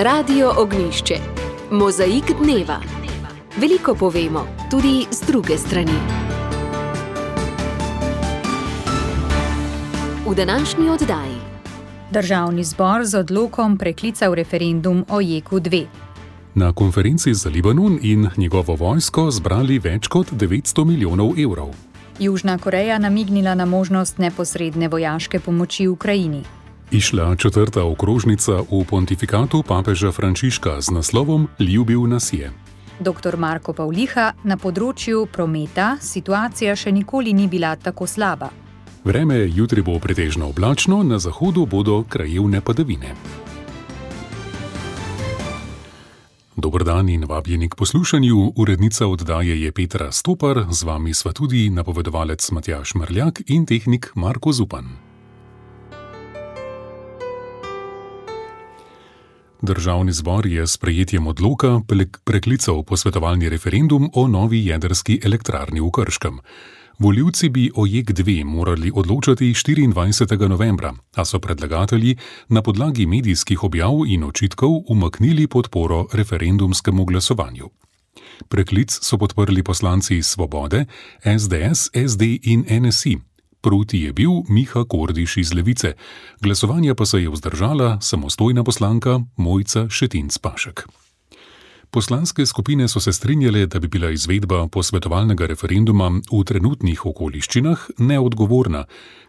Radio Ognjišče. Mozaik dneva. Veliko povemo, tudi z druge strani. V današnji oddaji. Državni zbor z odlokom preklical referendum o JEK2. Na konferenci za Libanon in njegovo vojsko zbrali več kot 900 milijonov evrov. Južna Koreja namignila na možnost neposredne vojaške pomoči Ukrajini. Išla 4. okrožnica v pontifikatu papeža Frančiška z naslovom Ljubil nas je. Dr. Marko Pavliha, na področju prometa situacija še nikoli ni bila tako slaba. Vreme jutri bo pretežno oblačno, na zahodu bodo krajevne padavine. Dober dan in vabljeni k poslušanju. Urednica oddaje je Petra Stopar, z vami sva tudi napovedovalec Matjaž Mrljak in tehnik Marko Zupan. Državni zbor je s sprejetjem odloka preklical posvetovalni referendum o novi jedrski elektrarni v Krškem. Volivci bi o JEK2 morali odločati 24. novembra, a so predlagatelji na podlagi medijskih objav in očitkov umaknili podporo referendumskemu glasovanju. Preklic so podprli poslanci Svobode, SDS, SD in NSI. Proti je bil Miha Kordiš iz Levice, glasovanja pa se je vzdržala samostojna poslanka Mojca Šetinc Pašek. Poslanske skupine so se strinjale, da bi bila izvedba posvetovalnega referenduma v trenutnih okoliščinah neodgovorna,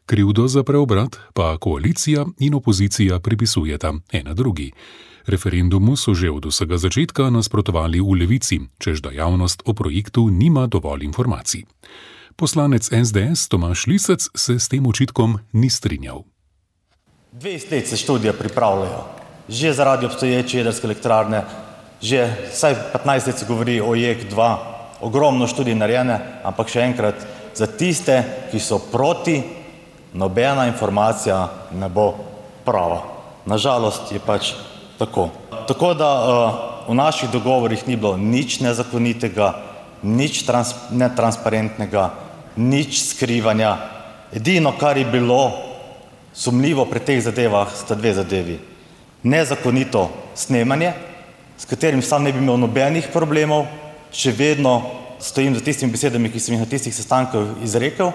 krivdo za preobrat pa koalicija in opozicija pripisujeta ena drugi. Referendumu so že od vsega začetka nasprotovali v Levici, češ da javnost o projektu nima dovolj informacij. Poslanec SDS Tomaž Lisec se s tem očitkom ni strinjal. 20 let se študije pripravljajo, že zaradi obstoječe jedrske elektrarne, že vsaj 15 let se govori o JEK2, ogromno študij narejene, ampak še enkrat, za tiste, ki so proti, nobena informacija ne bo prava. Nažalost je pač tako. Tako da v naših dogovorih ni bilo nič nezakonitega, nič netransparentnega, nič skrivanja. Edino, kar je bilo sumljivo pri teh zadevah, sta dve zadevi. Nezakonito snemanje, s katerim sam ne bi imel nobenih problemov, še vedno stojim za tistimi besedami, ki sem jih na tistih sestankih izrekel.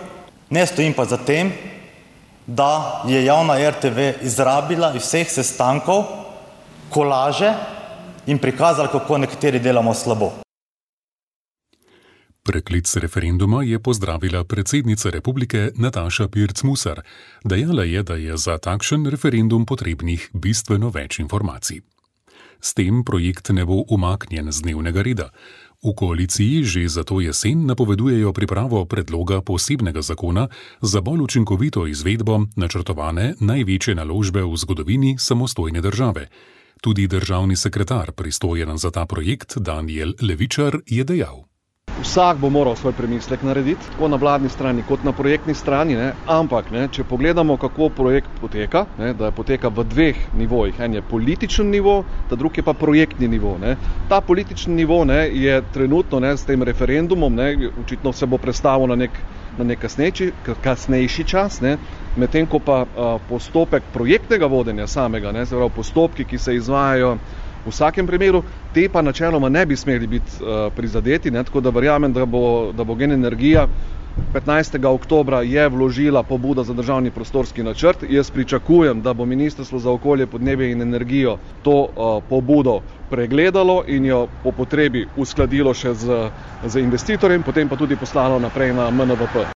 Ne stojim pa za tem, da je javna RTV izrabila iz vseh sestankov kolaže in prikazala, kako nekateri delamo slabo. Preklic referenduma je pozdravila predsednica republike Nataša Pirc Musar. Dejala je, da je za takšen referendum potrebnih bistveno več informacij. S tem projekt ne bo umaknjen z dnevnega reda. V koaliciji že za to jesen napovedujejo pripravo predloga posebnega zakona za bolj učinkovito izvedbo načrtovane največje naložbe v zgodovini samostojne države. Tudi državni sekretar, pristojen za ta projekt, Danijel Levičar, je dejal. Vsak bo moral svoj premislek narediti, tako na vladni strani kot na projektni strani, ampak če pogledamo, kako projekt poteka, da poteka v dveh nivojih, en je političen nivo, ta drugi je pa projektni nivo. Ta politični nivo je trenutno s tem referendumom, očitno se bo prestavil na nek kasnejši čas, medtem ko pa postopek projektnega vodenja samega, se pravi postopki, ki se izvajajo v vsakem primeru, te pa načeloma ne bi smeli biti prizadeti, tako da verjamem, da bo Gen energija 15. oktobra je vložila pobudo za državni prostorski načrt. Jaz pričakujem, da bo Ministrstvo za okolje, podnebje in energijo to pobudo pregledalo in jo po potrebi uskladilo še z investitorjem, potem pa tudi poslalo naprej na MNVP.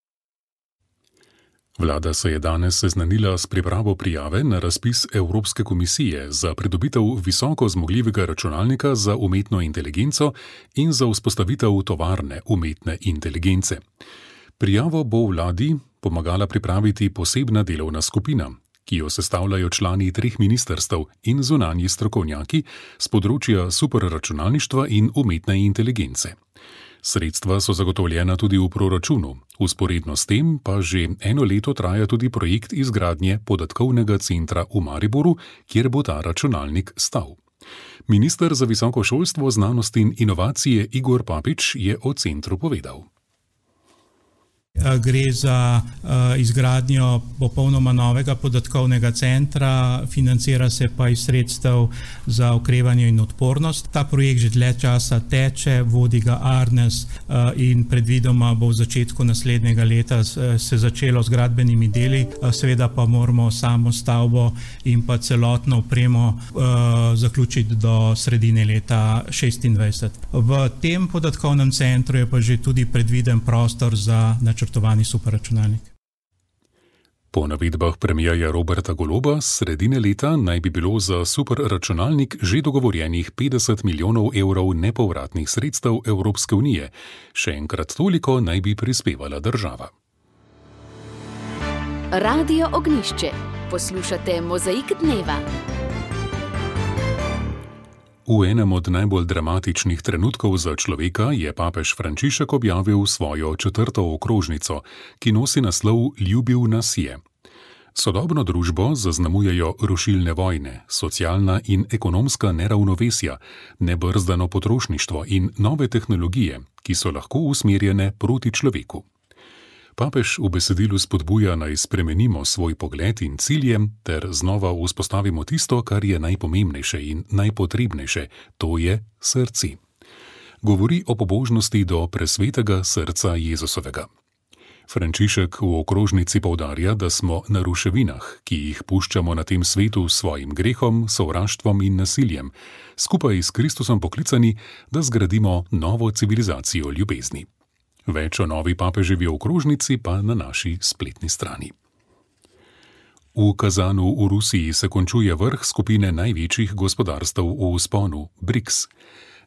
Vlada se je danes seznanila s pripravo prijave na razpis Evropske komisije za pridobitev visoko zmogljivega računalnika za umetno inteligenco in za vzpostavitev tovarne umetne inteligence. Prijavo bo vladi pomagala pripraviti posebna delovna skupina, ki jo sestavljajo člani 3 ministrstev in zunanji strokovnjaki z področja superračunalništva in umetne inteligence. Sredstva so zagotovljena tudi v proračunu, vzporedno s tem pa že eno leto traja tudi projekt izgradnje podatkovnega centra v Mariboru, kjer bo ta računalnik stal. Minister za visoko šolstvo, znanost in inovacije Igor Papič je o centru povedal. Gre za izgradnjo popolnoma novega podatkovnega centra, financira se pa iz sredstev za okrevanje in odpornost. Ta projekt že dlje časa teče, vodi ga Arnes in predvidoma bo v začetku naslednjega leta se začelo z gradbenimi deli. Seveda pa moramo samo stavbo in pa celotno opremo zaključiti do sredine leta 2026. V tem podatkovnem centru je pa že tudi predviden prostor za načrtovani superračunalnik. Po navedbah premierja Roberta Goloba sredine leta naj bi bilo za superračunalnik že dogovorjenih 50 milijonov evrov nepovratnih sredstev Evropske unije. Še enkrat toliko naj bi prispevala država. Radio Ognjišče. Poslušate Mozaik dneva. V enem od najbolj dramatičnih trenutkov za človeka je papež Frančišek objavil svojo 4. okrožnico, ki nosi naslov Ljubil nas je. Sodobno družbo zaznamujejo rušilne vojne, socialna in ekonomska neravnovesja, nebrzdano potrošništvo in nove tehnologije, ki so lahko usmerjene proti človeku. Papež v besedilu spodbuja, naj spremenimo svoj pogled in cilje ter znova vzpostavimo tisto, kar je najpomembnejše in najpotrebnejše, to je srce. Govori o pobožnosti do presvetega srca Jezusovega. Frančišek v okrožnici poudarja, da smo na ruševinah, ki jih puščamo na tem svetu s svojim grehom, sovraštvom in nasiljem, skupaj s Kristusom poklicani, da zgradimo novo civilizacijo ljubezni. Več o novi papeževi okrožnici pa na naši spletni strani. V Kazanu v Rusiji se končuje vrh skupine največjih gospodarstev v vzponu, BRICS.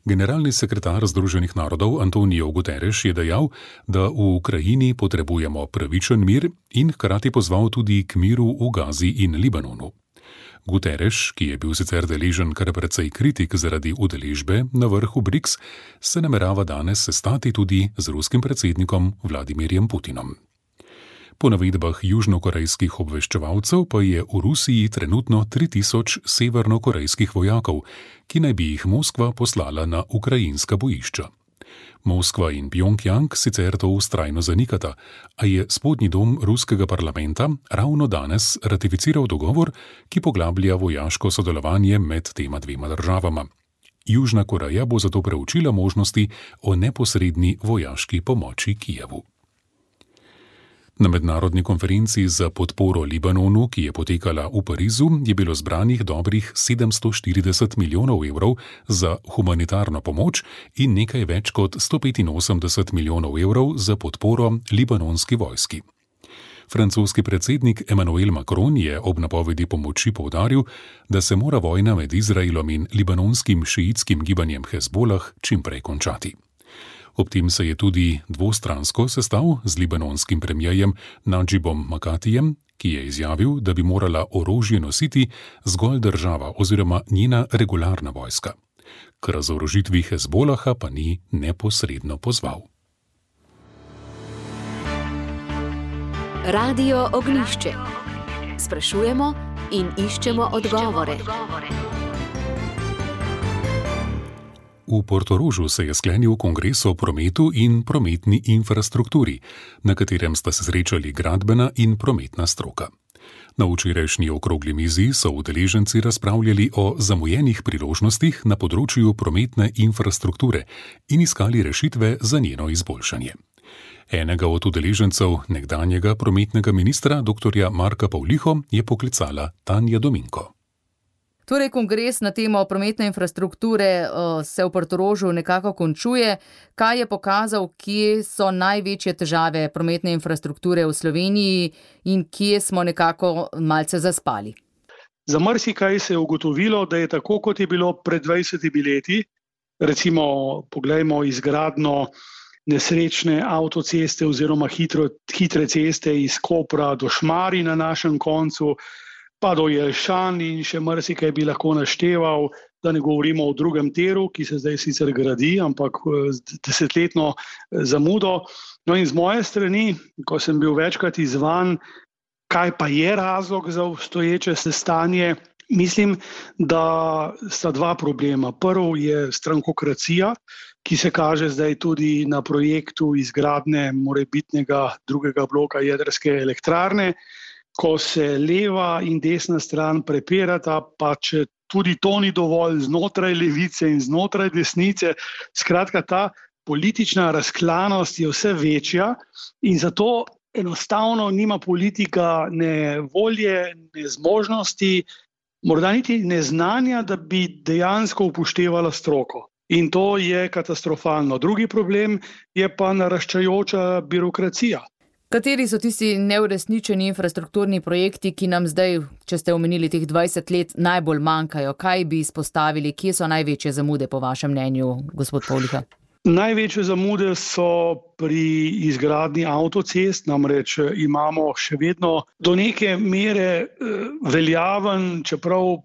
Generalni sekretar Združenih narodov Antonio Guterres je dejal, da v Ukrajini potrebujemo pravičen mir in hkrati pozval tudi k miru v Gazi in Libanonu. Guterres, ki je bil sicer deležen kar precej kritik zaradi udeležbe na vrhu BRICS, se namerava danes sestati tudi z ruskim predsednikom Vladimirjem Putinom. Po navedbah južnokorejskih obveščevalcev pa je v Rusiji trenutno 3000 severnokorejskih vojakov, ki naj bi jih Moskva poslala na ukrajinska bojišča. Moskva in Pjongjang sicer to vztrajno zanikata, a je spodnji dom ruskega parlamenta ravno danes ratificiral dogovor, ki poglablja vojaško sodelovanje med tema dvema državama. Južna Koreja bo zato preučila možnosti o neposredni vojaški pomoči Kijevu. Na mednarodni konferenci za podporo Libanonu, ki je potekala v Parizu, je bilo zbranih dobrih 740 milijonov evrov za humanitarno pomoč in nekaj več kot 185 milijonov evrov za podporo libanonski vojski. Francoski predsednik Emmanuel Macron je ob napovedi pomoči poudaril, da se mora vojna med Izraelom in libanonskim šiitskim gibanjem Hezbolah čimprej končati. Ob tem se je tudi dvostransko sestal z libanonskim premierjem Nadžibom Makatijem, ki je izjavil, da bi morala orožje nositi zgolj država oziroma njena regularna vojska. K razorožitvi Hezbolaha pa ni neposredno pozval. Radio Ognjišče. Sprašujemo in iščemo odgovore. V Portorožu se je sklenil kongres o prometu in prometni infrastrukturi, na katerem sta se srečali gradbena in prometna stroka. Na včerajšnji okrogli mizi so udeleženci razpravljali o zamujenih priložnostih na področju prometne infrastrukture in iskali rešitve za njeno izboljšanje. Enega od udeležencev, nekdanjega prometnega ministra dr. Marka Pavliho, je poklicala Tanja Dominko. Torej, kongres na temo prometne infrastrukture se v Portorožu nekako končuje. Kaj je pokazal, kje so največje težave prometne infrastrukture v Sloveniji in kje smo nekako malce zaspali? Za marsikaj se je ugotovilo, da je tako, kot je bilo pred 20 leti, recimo poglejmo izgradnjo nesrečne avtoceste oziroma hitre ceste iz Kopra do Šmarij na našem koncu, pa do Jelšan in še marsikaj bi lahko našteval, da ne govorimo o drugem tiru, ki se zdaj sicer gradi, ampak z desetletno zamudo. No in z moje strani, ko sem bil večkrat izzvan, kaj pa je razlog za obstoječe stanje, Mislim, da sta dva problema. Prvi je strankokracija, ki se kaže zdaj tudi na projektu izgradnje morebitnega drugega bloka jedrske elektrarne, ko se leva in desna stran prepirata, pa če tudi to ni dovolj znotraj levice in znotraj desnice. Skratka, ta politična razklanost je vse večja in zato enostavno nima politika ne volje, ne zmožnosti, morda niti neznanja, da bi dejansko upoštevala stroko. In to je katastrofalno. Drugi problem je pa naraščajoča birokracija. Kateri so tisti neuresničeni infrastrukturni projekti, ki nam zdaj, če ste omenili teh 20 let, najbolj manjkajo? Kaj bi izpostavili? Kje so največje zamude po vašem mnenju, gospod Pavliha? Največje zamude so pri izgradnji avtocest, namreč imamo še vedno do neke mere veljaven, čeprav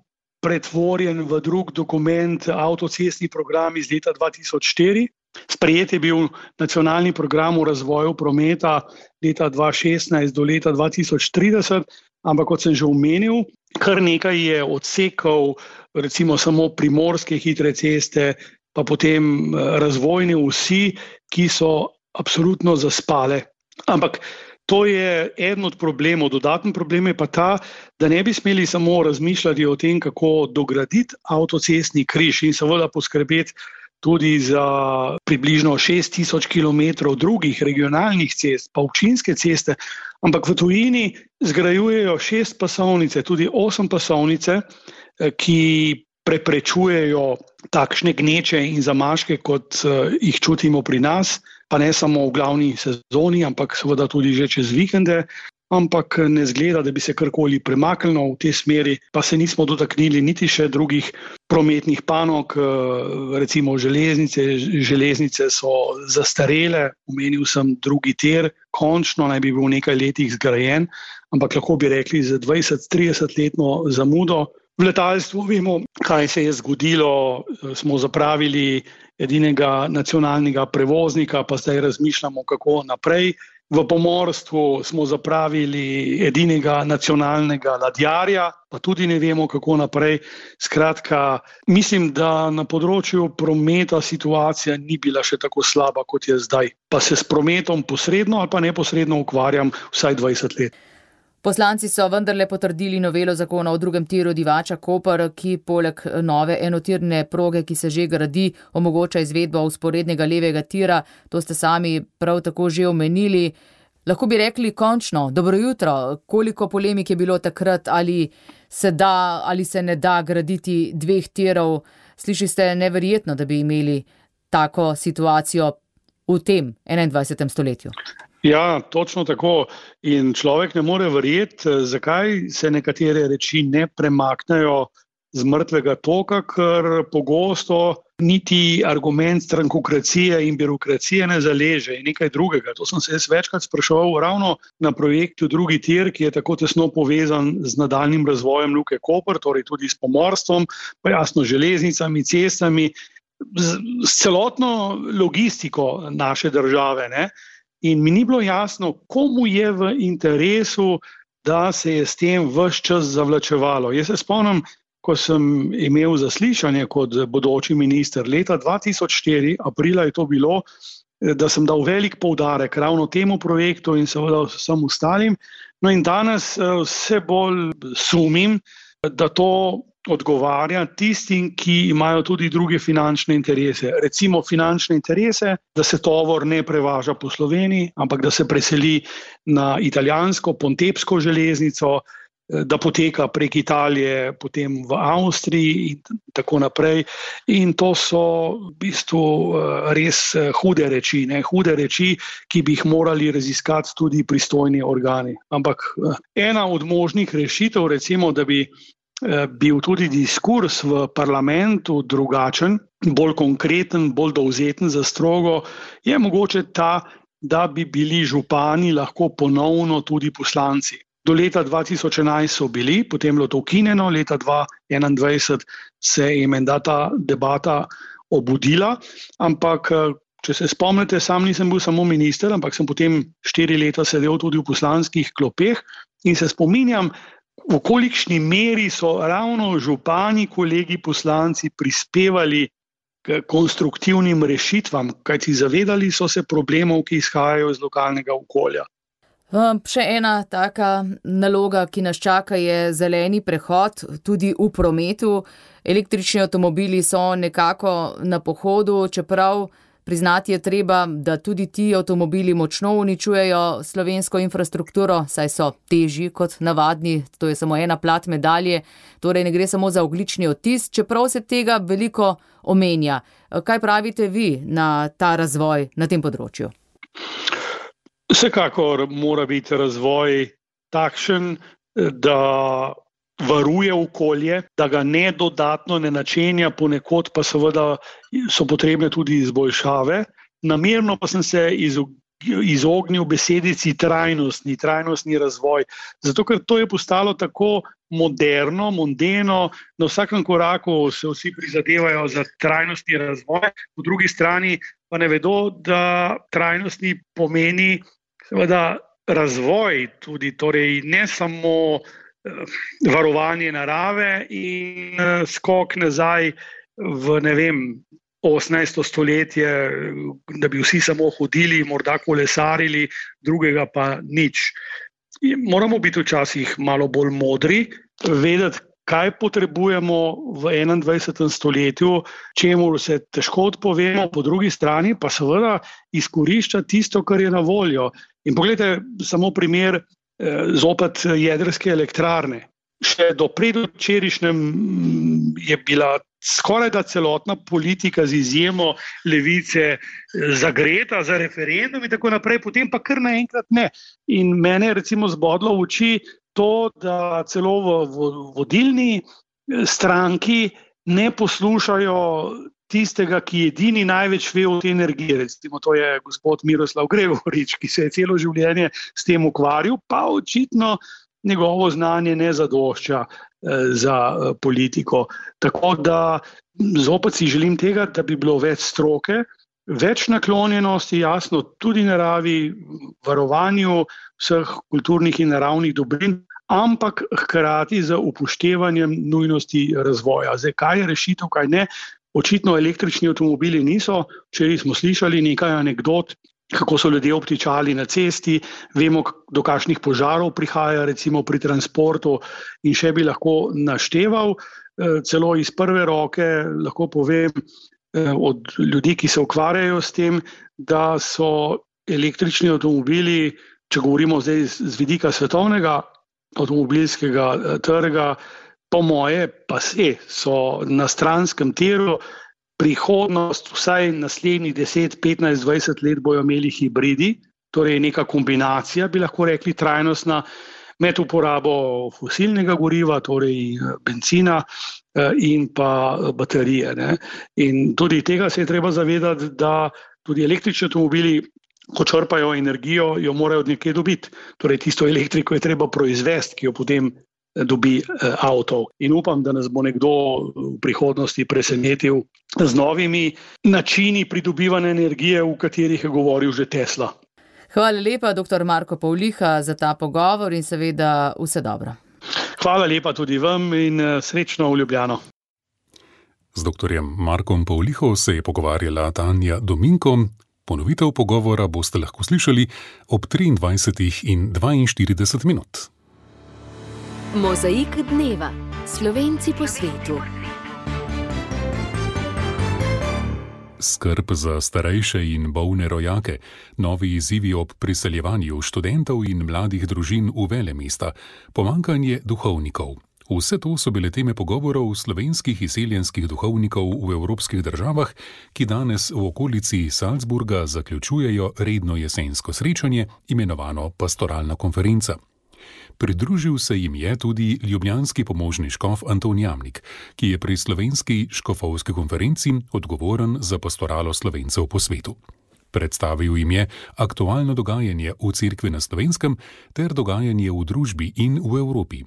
pretvorjen v drug dokument, avtocestni program iz leta 2004. Sprejet je bil nacionalni program o razvoju prometa leta 2016 do leta 2030, ampak kot sem že omenil, kar nekaj je odsekov, recimo samo primorske hitre ceste, pa potem razvojne osi, ki so absolutno zaspale. Ampak to je eden od problemov. Dodaten problem je pa ta, da ne bi smeli samo razmišljati o tem, kako dograditi avtocestni križ in seveda poskrbeti tudi za približno 6000 kilometrov drugih regionalnih cest, pa občinske ceste, ampak v tujini zgrajujejo 6 pasovnice, tudi 8 pasovnice, ki preprečujejo takšne gneče in zamaške, kot jih čutimo pri nas, pa ne samo v glavni sezoni, ampak seveda tudi že čez vikende, ampak ne zgleda, da bi se karkoli premaknilo v tej smeri, pa se nismo dotaknili niti še drugih prometnih panog, recimo železnice so zastarele, omenil sem drugi tir, končno naj bi bil v nekaj letih zgrajen, ampak lahko bi rekli z 20-30 letno zamudo. V letalstvu vemo, kaj se je zgodilo, smo zapravili edinega nacionalnega prevoznika, pa zdaj razmišljamo, kako naprej. V pomorstvu smo zapravili edinega nacionalnega ladjarja, pa tudi ne vemo, kako naprej. Skratka, mislim, da na področju prometa situacija ni bila še tako slaba, kot je zdaj. Pa se s prometom posredno ali pa neposredno ukvarjam vsaj 20 let. Poslanci so vendarle potrdili novelo zakona o drugem tiru Divača-Koper, ki poleg nove enotirne proge, ki se že gradi, omogoča izvedbo vzporednega levega tira. To ste sami prav tako že omenili. Lahko bi rekli končno, dobro jutro, koliko polemik je bilo takrat, ali se da ali se ne da graditi 2 tirov. Sliši ste neverjetno, da bi imeli tako situacijo v tem 21. stoletju. Ja, točno tako. In človek ne more verjeti, zakaj se nekatere reči ne premaknejo z mrtvega toka, ker pogosto niti argument strankokracije in birokracije ne zaleže in nekaj drugega. To sem se jaz večkrat spraševal ravno na projektu drugi tir, ki je tako tesno povezan z nadaljnjim razvojem Luke Koper, torej tudi s pomorstvom, pa jasno železnicami, cestami, s celotno logistiko naše države, ne? In mi ni bilo jasno, komu je v interesu, da se je s tem ves čas zavlačevalo. Jaz se spomnim, ko sem imel zaslišanje kot bodoči minister leta 2004, aprila je to bilo, da sem dal velik poudarek ravno temu projektu in seveda vsem ostalim. No in danes vse bolj sumim, da to odgovarja tistim, ki imajo tudi druge finančne interese. Recimo finančne interese, da se tovor ne prevaža po Sloveniji, ampak da se preseli na italijansko Pontebsko železnico, da poteka prek Italije, potem v Avstriji in tako naprej. In to so v bistvu res hude reči, hude reči, ki bi jih morali raziskati tudi pristojni organi. Ampak ena od možnih rešitev, recimo, da bi bil tudi diskurs v parlamentu drugačen, bolj konkreten, bolj dovzeten za strogo, je mogoče ta, da bi bili župani lahko ponovno tudi poslanci. Do leta 2011 so bili, potem je bilo to ukinjeno, leta 2021 se je menda ta debata obudila, ampak če se spomnite, sam nisem bil samo minister, ampak sem potem 4 leta sedel tudi v poslanskih klopeh in se spominjam, v kolikšni meri so ravno župani, kolegi poslanci prispevali k konstruktivnim rešitvam, kajti zavedali so se problemov, ki izhajajo iz lokalnega okolja. Še ena taka naloga, ki nas čaka, je zeleni prehod tudi v prometu. Električni avtomobili so nekako na pohodu, čeprav priznati je treba, da tudi ti avtomobili močno uničujejo slovensko infrastrukturo, saj so težji kot navadni, to je samo ena plat medalje, torej ne gre samo za ogljični odtis, čeprav se tega veliko omenja. Kaj pravite vi na ta razvoj na tem področju? Vsekakor mora biti razvoj takšen, da varuje okolje, da ga ne dodatno ne načenja, ponekod pa seveda so potrebne tudi izboljšave. Namerno pa sem se izognil besedici trajnostni razvoj, zato ker to je postalo tako moderno, mondeno, na vsakem koraku se vsi prizadevajo za trajnostni razvoj, po drugi strani pa ne vedo, da trajnostni pomeni seveda razvoj tudi, torej ne samo varovanje narave in skok nazaj v, 18. stoletje, da bi vsi samo hodili, morda kolesarili, drugega pa nič. Moramo biti včasih malo bolj modri, vedeti, kaj potrebujemo v 21. stoletju, čemu se težko odpovemo, po drugi strani pa seveda izkorišča tisto, kar je na voljo. In pogledajte samo primer zopet jedrske elektrarne. Še do predvčerajšnjem je bila skoraj da celotna politika z izjemo levice zagreta za referendum in tako naprej, potem pa kar naenkrat ne. In mene je recimo zbodlo v oči to, da celo v vodilni stranki ne poslušajo tistega, ki edini največ ve o tej energiji. Recimo to je gospod Miroslav Gregorič, ki se je celo življenje s tem ukvarjal, pa očitno njegovo znanje ne zadošča za politiko. Tako da zopet si želim tega, da bi bilo več stroke, več naklonjenosti, jasno, tudi naravi, varovanju vseh kulturnih in naravnih dobrin, ampak hkrati z upoštevanjem nujnosti razvoja. Zdaj, kaj je rešitev, kaj ne? Očitno električni avtomobili niso. Včeraj smo slišali nekaj anekdot, kako so ljudje obtičali na cesti, vemo, do kakšnih požarov prihaja recimo pri transportu in še bi lahko našteval. Celo iz prve roke lahko povem od ljudi, ki se ukvarjajo s tem, da so električni avtomobili, če govorimo zdaj z vidika svetovnega avtomobilskega trga, po moje pa so na stranskem tiru, prihodnost vsaj naslednjih 10, 15, 20 let bojo imeli hibridi, torej neka kombinacija, bi lahko rekli, trajnostna med uporabo fosilnega goriva, torej bencina in pa baterije. Ne? In tudi tega se je treba zavedati, da tudi električni avtomobili, ko črpajo energijo, jo morajo od nekje dobiti. Torej tisto elektriko je treba proizvesti, ki jo potem dobi avto. In upam, da nas bo nekdo v prihodnosti presenetil z novimi načini pridobivanja energije, v katerih je govoril že Tesla. Hvala lepa, dr. Marko Pavliha, za ta pogovor in seveda vse dobro. Hvala lepa tudi vam in srečno v Ljubljano. Z dr. Markom Pavliho se je pogovarjala Tanja Dominko. Ponovitev pogovora boste lahko slišali ob 23:42 minut. Mozaik dneva. Slovenci po svetu. Skrb za starejše in bolne rojake, novi izzivi ob priseljevanju študentov in mladih družin v velemesta, pomanjkanje duhovnikov. Vse to so bile teme pogovorov slovenskih izseljenskih duhovnikov v evropskih državah, ki danes v okolici Salzburga zaključujejo redno jesensko srečanje, imenovano Pastoralna konferenca. Pridružil se jim je tudi ljubljanski pomožni škof Anton Jamnik, ki je pri slovenski škofovski konferenci odgovoren za pastoralo Slovencev po svetu. Predstavil jim je aktualno dogajanje v cerkvi na Slovenskem ter dogajanje v družbi in v Evropi.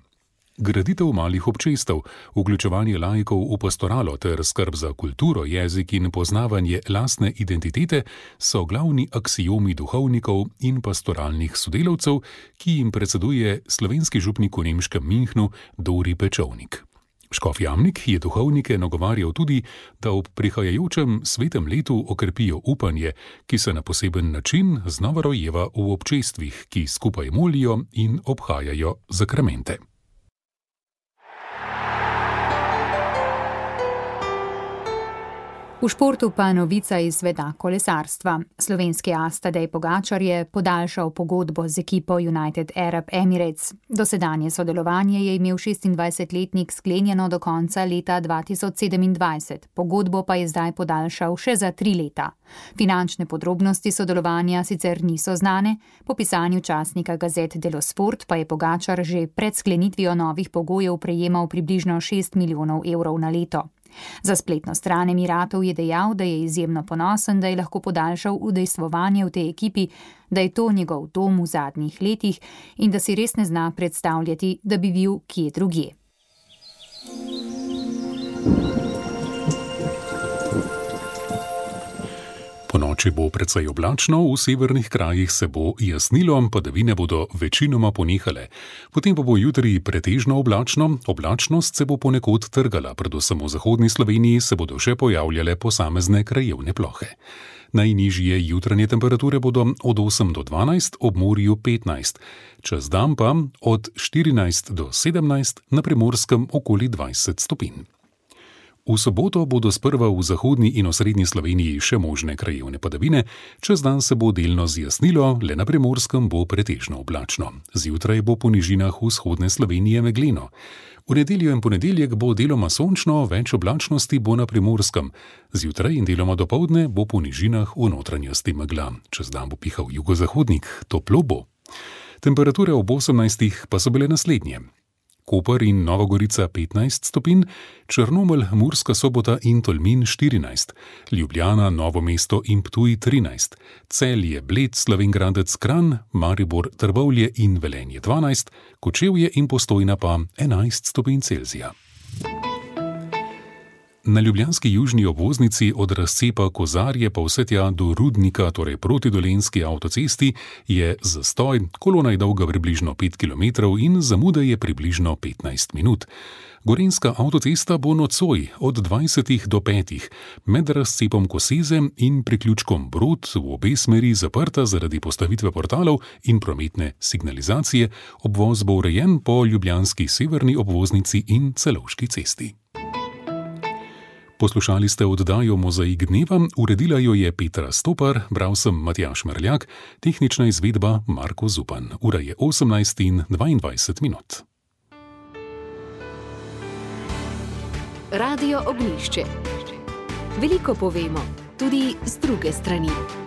Graditev malih občestev, vključevanje laikov v pastoralo ter skrb za kulturo, jezik in poznavanje lastne identitete so glavni aksiomi duhovnikov in pastoralnih sodelavcev, ki jim predseduje slovenski župnik v nemškem Münchnu Dori Pečovnik. Škof Jamnik je duhovnike nagovarjal tudi, da ob prihajajočem svetem letu okrepijo upanje, ki se na poseben način znova rojeva v občestvih, ki skupaj molijo in obhajajo zakramente. V športu pa novica iz sveta kolesarstva. Slovenski as Tadej Pogačar je podaljšal pogodbo z ekipo United Arab Emirates. Dosedanje sodelovanje je imel 26-letnik sklenjeno do konca leta 2027, pogodbo pa je zdaj podaljšal še za 3 leta. Finančne podrobnosti sodelovanja sicer niso znane, po pisanju časnika Gazet dello Sport pa je Pogačar že pred sklenitvijo novih pogojev prejemal približno 6 milijonov evrov na leto. Za spletno stran Emiratov je dejal, da je izjemno ponosen, da je lahko podaljšal udejstvovanje v tej ekipi, da je to njegov dom v zadnjih letih in da si res ne zna predstavljati, da bi bil kje drugje. Ponoči bo precej oblačno, v severnih krajih se bo jasnilo, padavine bodo večinoma ponehale. Potem pa bo jutri pretežno oblačno, oblačnost se bo ponekod trgala, predvsem v zahodni Sloveniji se bodo še pojavljale posamezne krajevne plohe. Najnižje jutranje temperature bodo od 8 do 12, ob morju 15, čez dan pa od 14 do 17, na Primorskem okoli 20 stopinj. V soboto bodo sprva v zahodni in osrednji Sloveniji še možne krajevne padavine, čez dan se bo delno zjasnilo, le na Primorskem bo pretežno oblačno. Zjutraj bo po nižinah vzhodne Slovenije megleno. V nedeljo in ponedeljek bo deloma sončno, več oblačnosti bo na Primorskem. Zjutraj in deloma dopoldne bo po nižinah v notranjosti megla. Čez dan bo pihal jugozahodnik, toplo bo. Temperature ob 18 pa so bile naslednje. Koper in Nova Gorica 15 stopinj, Črnomelj, Murska Sobota in Tolmin 14, Ljubljana, Novo mesto in Ptuj 13, Celje, Bled, Slovenj Gradec, Kranj, Maribor, Trbovlje in Velenje 12, Kočevje in Postojna pa 11 stopinj Celzija. Na ljubljanski južni obvoznici od razcepa Kozarje pa vse tja do Rudnika, torej proti Dolenjski avtocesti, je zastoj, kolona je dolga približno 5 km in zamuda je približno 15 minut. Gorenjska avtocesta bo nocoj od 20 do 5 med razcepom Koseze in priključkom Brod v obe smeri zaprta zaradi postavitve portalov in prometne signalizacije, obvoz bo urejen po ljubljanski severni obvoznici in Celovški cesti. Poslušali ste oddajo Mozaik dneva, uredila jo je Petra Stopar, bral sem Matjaž Merljak, tehnična izvedba Marko Zupan. Ura je 18:22 minut. Radio Ognjišče. Veliko povemo, tudi z druge strani.